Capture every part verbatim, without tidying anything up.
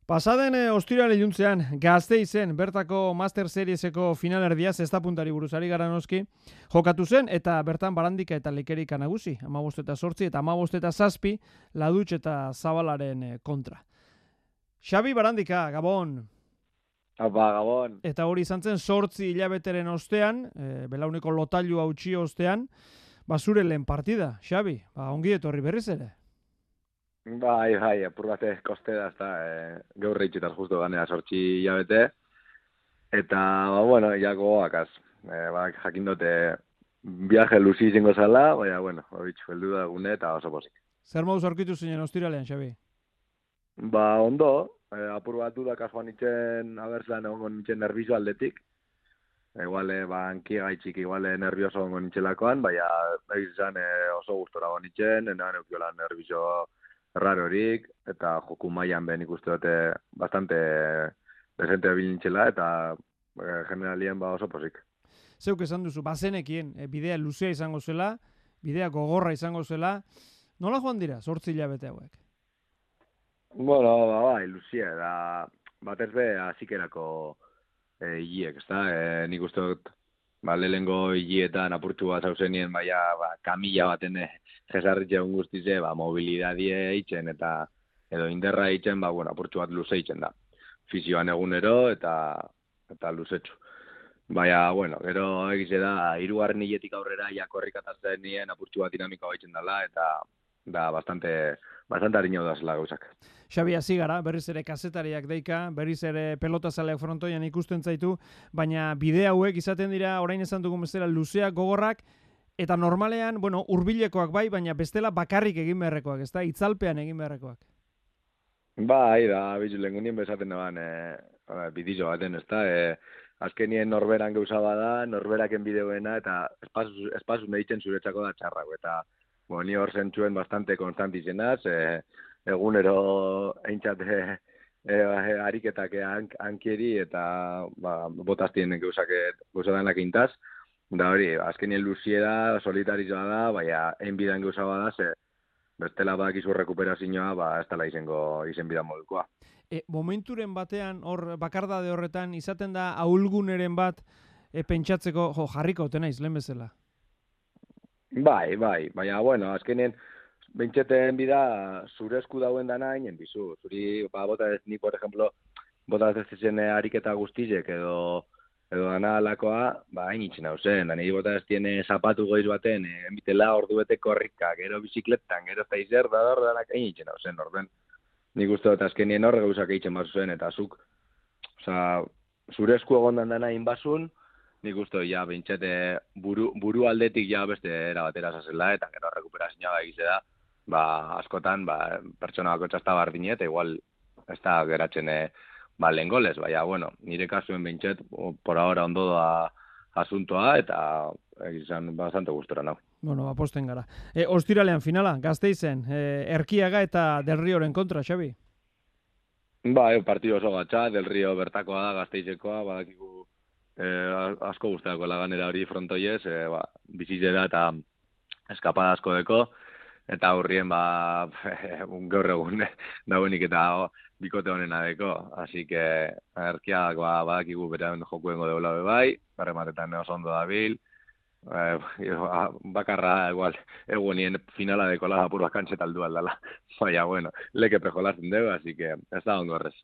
Pasaden e, ostirale iluntzean, Gasteizen bertako Master Serieseko finalerdia zesta puntari buruzari gara noski, jokatu zen, eta bertan Barandika eta Lekerika nagusi, hamabost eta zortzi eta hamabost eta zazpi, Ladutx eta Zabalaren e, kontra. Xabi Barandika, Gabon! Apa, Gabon! Eta hori izan zen zortzi hilabeteren ostean, e, belauneko lotailu hautsi ostean, basure lehen partida, Xabi, ba, ongi etorri berriz ere. Bai, bai, apur bate koste da, ezta, e, gaur reitxetaz justu ganea sortxi hilabete, eta, ba, bueno, ja gogoakaz, e, ba, jakin dute viaje luzi izango zala, baina, bueno, bitxu, heldu da gune eta oso pozik. Zer moduz aurkitu zinen ostiralean, Xabi? Ba, ondo, e, apur bat dudak joan nintzen, abertzean egongo nintzen nervizo aldetik, iguale, ba, hanki gaitxik, iguale nervioso egongo nintzelakoan, baina, egizan e, oso gustora egon nintzen, enan eukiola nervizo rarorik, eta joku mailan ben ikuste dute bastante desente bilintxela, eta e, generalien ba oso posik. Zeuk esan duzu, bazenekien, e, bidea luzea izango zela, bidea gogorra izango zela, nola joan dira, zortzi hilabete hauek? Bueno, ba, bai, luzea, da, batez be, azikerako e, hiliek, ezta? E, nik uste dut, ba, lehengo hilietan apurtu bat zauzenien, baina, ba, kamila baten jesarritxeun guztize, ba, mobilidadie eitzen eta edo inderra eitzen, ba, bueno, apurtxu bat luze eitzen da. Fizioan egunero eta eta luzetxu. Baina, bueno, gero egize da, hirugarren hiletik aurrera jakorrikatatzen nien apurtxu bat dinamikoa eitzen dela, eta da, bastante, bastante hariño da zela gauzak. Xabi, hasi gara, berriz ere kazetariak deika, berriz ere pelotazaleak frontoian ikusten zaitu, baina bide hauek izaten dira, orain esan dugun bezala, luzeak, gogorrak, eta normalean, bueno, hurbilekoak bai, baina bestela bakarrik egin beharrekoak, ezta? Itzalpean egin beharrekoak. Bai, da, bizu, lengunien bezaten daban, e, bidizo baten, ezta? E, azkenien norberan gauza bada, norberaken bideoena, eta espazu, espazu nehitzen zuretzako da txarrako, eta bo, ni hor zentzuen bastante konstantizenaz, e, egunero eintzate e, e, ariketak hankieri eta ba, botaztien gauzak gauzadanak intaz. Da hori, azkenien luziera, solitarizua da, baina enbidan gauza bada, ze bestela badakizu rekuperazioa, ba, ez dela izango izen bidan modukoa. E, momenturen batean, hor bakardade horretan, izaten da ahulguneren bat e, pentsatzeko, jo, jarriko ote naiz, lehen bezala. Bai, bai, baina, bueno, azkenien, bentseten bida, zure esku dauen dana hainen bizu. Zuri, ba, bota ez, ni, por ejemplo, bota ez ez zen ariketa guztizek, edo edo dana alakoa, ba, hain itxen hau zen, dani bota ez tiene zapatu goiz baten, e, enbitela ordu bete korrika, gero bizikletan, gero zaizer, da hor danak hain itxen hau zen, orden. Nik uste dut azkenien horre gauzak eitzen bazu zen, eta zuk, oza, zure esku egondan dana inbazun, nik uste ja, bintxete, buru, buru aldetik ja beste erabatera zazela, eta gero rekuperazioa egize da, ba, askotan, ba, pertsona bako txasta bardine, eta igual, ez da geratzen, e, ba, lehen golez, baina, bueno, nire kasuen bintxet, por ahora ondo da asuntoa, eta egizan bastante gustora nau. Bueno, aposten gara. E, ostiralean finala, Gasteizen, e, Erkiaga eta Del Rioren kontra, Xabi? Ba, e, partido oso gatsa, Del Rio bertakoa da, Gasteizekoa, badakigu e, asko guztiako laganera hori frontoiez, e, ba, bizitera eta eskapada asko deko, eta aurrien, ba, gaur egun dauenik eta bikote honena deko, así que Erkiak ba, badakigu beren jokuengo deula bai, berrematetan oso ondo dabil, eh, bakarra igual egunien finala dekola apur bakantxeta aldu aldala, baina bueno, leke prejolazen dugu, así que ez da ondo horrez.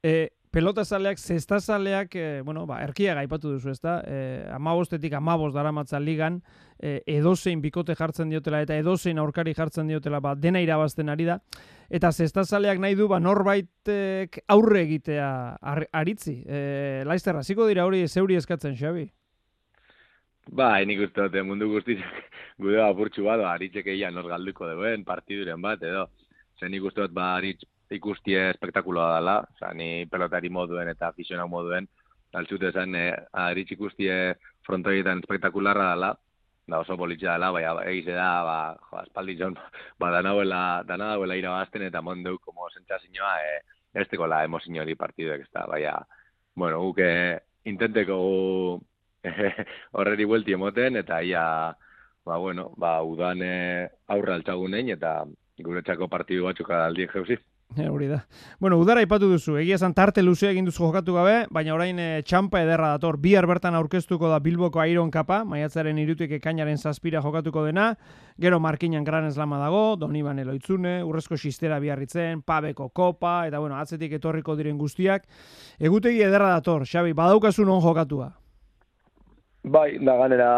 e, pelotazaleak, zestazaleak, e, bueno, ba, Erkiaga aipatu duzu, ezta? E, amabostetik amabost daramatza ligan, e, edozein bikote jartzen diotela eta edozein aurkari jartzen diotela, ba, dena irabazten ari da. Eta zestazaleak nahi du, ba, norbaitek aurre egitea ar, aritzi. E, Laizter, hasiko dira hori zeuri eskatzen, Xabi? Ba, nik uste dute mundu guztizek gude apurtxu bat, aritzek egia nor galduko duen partiduren bat, edo. Zer nik uste dut, ba, aritz ikustie espektakuloa dela, oza, ni pelotari moduen eta aficionau moduen, altzute zen, e, aritz ikustie frontoietan espektakularra dela, da oso politxea dela, baina egize da, ba, jo, espaldi zon, ba, danauela, danauela irabazten eta mondeu, como sentzazioa, e, ez tekola emozio hori partiduek, ez da, baina, bueno, guk e, intenteko gu horreri buelti emoten, eta ia, ba, bueno, ba, udan e, aurra altzagunein, eta guretzako partidu batzuk aldiek jauzi. E, hori da. Bueno, udara ipatu duzu, egia esan tarte luzea egin duzu jokatu gabe, baina orain e, txampa ederra dator. Bihar bertan aurkeztuko da Bilboko Iron Cupa, maiatzaren hirutik ekainaren zazpira jokatuko dena, gero Markinan Gran Slama dago, Donibane Loitzune, Urrezko Xistera Biarritzen, Pabeko Kopa, eta bueno, atzetik etorriko diren guztiak. Egutegi ederra dator, Xabi, badaukazu non jokatua? Bai, da ganera,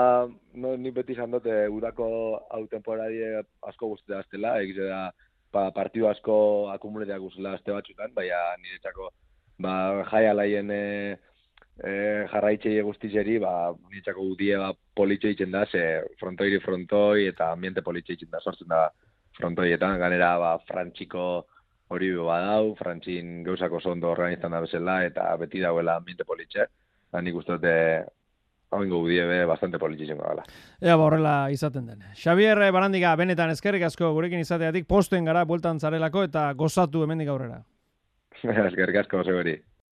no, ni beti izan dute udako hau temporadie asko guztia aztela, egize da, pa, partidu asko akumuleteak guzela azte batxutan, baina niretzako ba, jai alaien e, e, jarraitxei guztizeri, ba, niretzako udie ba, politxe itzen da, ze frontoiri frontoi eta ambiente politxe itzen da, sortzen da frontoietan, ganera ba, frantxiko hori badau, frantxin gauzako zondo organizan da bezala, eta beti dauela ambiente politxe, da nik uste dute hau ingo budie be, bastante politxiziongo gala. Ea, ba, horrela izaten den. Xabier Barandiga, benetan eskerrik asko gurekin izateatik, posten gara, bueltan zarelako, eta gozatu hemendik aurrera. Eskerrik asko, seguri.